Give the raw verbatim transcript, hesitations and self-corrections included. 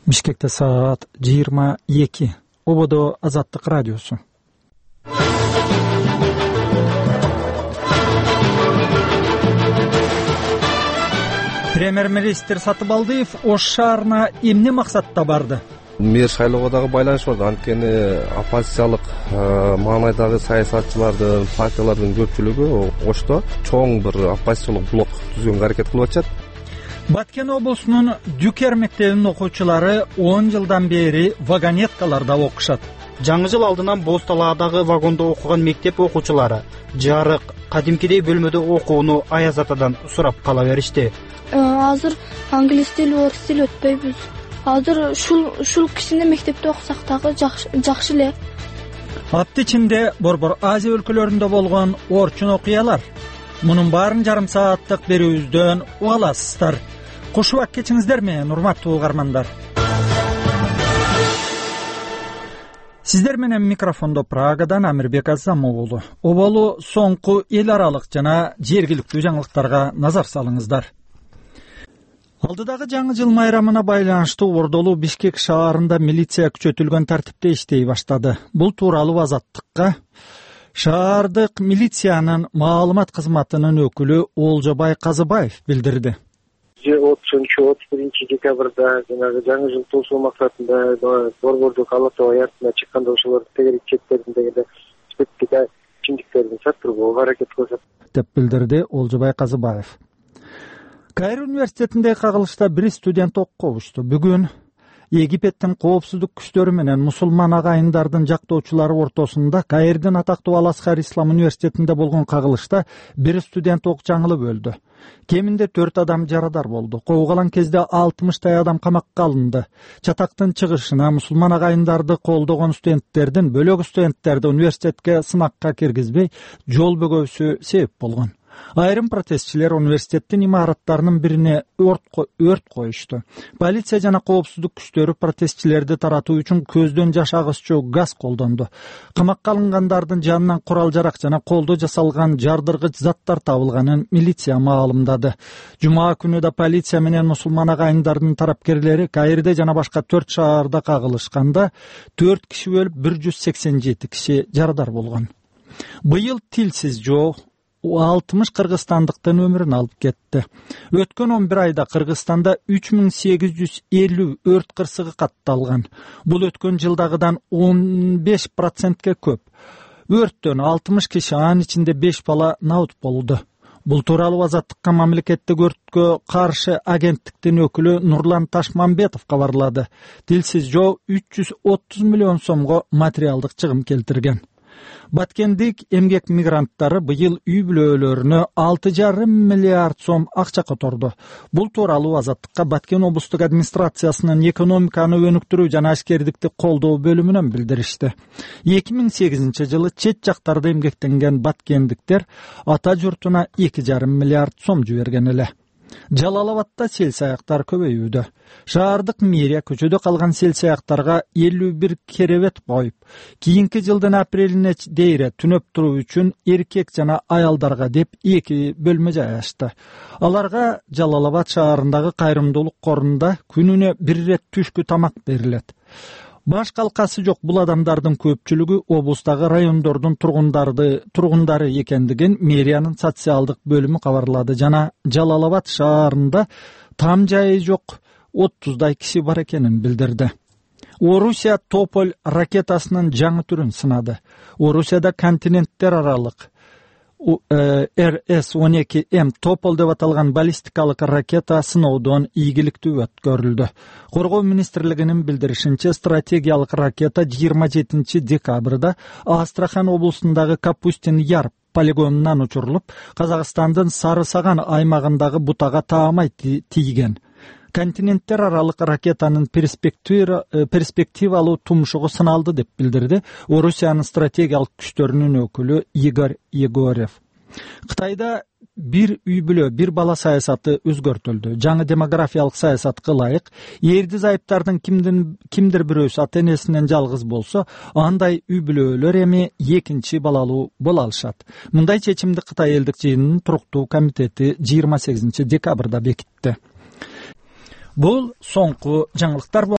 Бишкекте саат жыйырма эки. Ободо Азаттык радиосу. Премьер-министр Сатыбалдиев Ош шаарына эмне максатта барды? Мэр шайлоого дагы байланыш бар. Анткени оппозициялык маанайдагы саясатчылардын, партиялардын көпчүлүгү Ошто чоң бир оппозициялык блок түзгөнгө аракет кылып атышат. Баткен облусунун Дүкер мектебинин окуучулары он жылдан бери вагонеткаларда окушат. Жаңы жыл алдынан Боз талаадагы вагондо окуган мектеп окуучулары жарык, кадимкидей бөлмөдө окууну Аяз атадан сурап кала беришти. Азыр англис тил, орус тил өтпөйбүз. Азыр ушул ушул кичине мектепте окусак дагы жакшы эле. Апта ичинде Борбор Азия өлкөлөрүндө болгон орчун окуялар. Мунун баарын жарым сааттык берүүбүздөн уга аласыздар. Кушубак кечиңиздер менен, урматтуу угармандар. Сиздер менен микрофондо Прагадан Амирбек Азамов уулу. Оболу соңку эл аралык жана жергиликтүү жаңылыктарга назар салыңыздар. Алдыдагы жаңы жыл майрамына байланыштуу Ордолуу Бишкек шаарында милиция күчөтүлгөн тартипте иштей баштады. Бул тууралуу Азаттыкка шаардык милициянын маалымат кызматынын өкүлү Олжобай Казыбаев билдирди. отузунчу отуз биринчи декабрда жанагы жаңы жыл туусу максатында борбордук Ала Тоо аяртына чыкканда ошолорду тегерек четтердин дегенде спирттик ичимдиктерди саттырууга аракет кылышат деп билдирди Олжобай Казыбаев. Кайыр университетинде кагылышта бир студент окко учту. Бүгүн Египеттин коопсуздук күчтөрү менен мусулман агайындардын жактоочулары ортосунда Кайырдын атактуу Ал-Азхар Ислам университетинде болгон кагылышта бир студент ок жаңылып өлдү. Кеминде төрт адам жарадар болду. Куугалан кезде алтымыштай адам камакка алынды. Чатактын чыгышына мусулман агайындарды колдогон студенттердин бөлөк студенттерди университетке сынакка киргизбей жол бөгөөсү себеп болгон. Айрым протестчилер университеттин имараттарынын бирине өрт коюшту. Полиция жана коопсуздук күчтөрү протестчилерди таратуу үчүн көздөн жаш агызчу газ колдонду. Камакка алынгандардын жанынан курал-жарак жана колдо жасалган жардыргыч заттар табылганын милиция маалымдады. Жума күнү да полиция менен мусулман агайындардын тарапкерлери Кайырде жана башка төрт шаарда кагылышканда төрт киши өлүп, бир жүз сексен жети киши жарадар болгон. Быйыл тилсиз жоо алтымыш кыргызстандыктын өмүрүн алып кетти. Өткөн он бир айда Кыргызстанда үч миң сегиз жүз элүү өрт кырсыгы катталган. Бул өткөн жылдагыдан он беш процентке көп. Өрттөн алтымыш киши, анын ичинде беш бала набут болду. Бул тууралуу Азаттыкка мамлекеттик өрткө каршы агенттиктин өкүлү Нурлан Ташмамбетов кабарлады. Тилсиз жоо үч жүз отуз миллион сомго материалдык чыгым келтирген. Баткендик эмгек мигранттары быйыл үй бүлөлөрүнө алты жарым миллиард сом акча которду. Бул тууралуу Азаттыкка Баткен облустук администрациясынын экономиканы өнүктүрүү жана ашкердикти колдоо бөлүмүнөн билдиришти. эки миң сегизинчи жылы чет жактарда эмгектенген баткендиктер ата журтуна эки жарым миллиард сом жиберген эле. Жалал Абадта сел саяктар көбөйүүдө. Шаардык мэрия көчөдө калган сел саяктарга элүү бир керебет коюп, кийинки жылдын апрелине дейре түнөп туруу үчүн эркек жана аялдарга деп эки бөлмө жай ачты. Аларга Жалал Абад шаарындагы кайрымдуулук корунда күнүнө бир ирет түшкү тамак берилет. Баш калкасы жок бул адамдардын көпчүлүгү облустагы райондордун тургундары тургундары экендигин мэриянын социалдык бөлүмү кабарлады жана Жалал Абад шаарында там жайы жок отуздай киши бар экенин билдирди. Орусия Тополь ракетасынын жаңы түрүн сынады. Орусияда континенттер аралык эр эс он эки эм Тополь деп аталган баллистикалык ракета сыноодон ийгиликтүү өткөрүлдү. Коргоо министрлигинин билдиришинче, стратегиялык ракета жыйырма жетинчи декабрда Астрахан облусундагы Капустин Яр полигонунан учурулуп, Казакстандын Сары Саган аймагындагы бутага таамай тийген. Континенттер аралык ракетанын перспективалуу тумшугу сыналды деп билдирди Орусиянын стратегиялык күчтөрүнүн өкүлү Игорь Егорев. Кытайда бир үй бүлө, бир бала саясаты өзгөртүлдү. Жаңы демографиялык саясатка ылайык, эрди зайыптардын кимдир бирөөсү ата энесинен жалгыз болсо, андай үй бүлөлөр эми экинчи балалуу боло алышат. Мындай чечимди Кытай элдик жыйынынын туруктуу комитети жыйырма сегизинчи декабрда бекитти. Бул соңку жаңылыктар.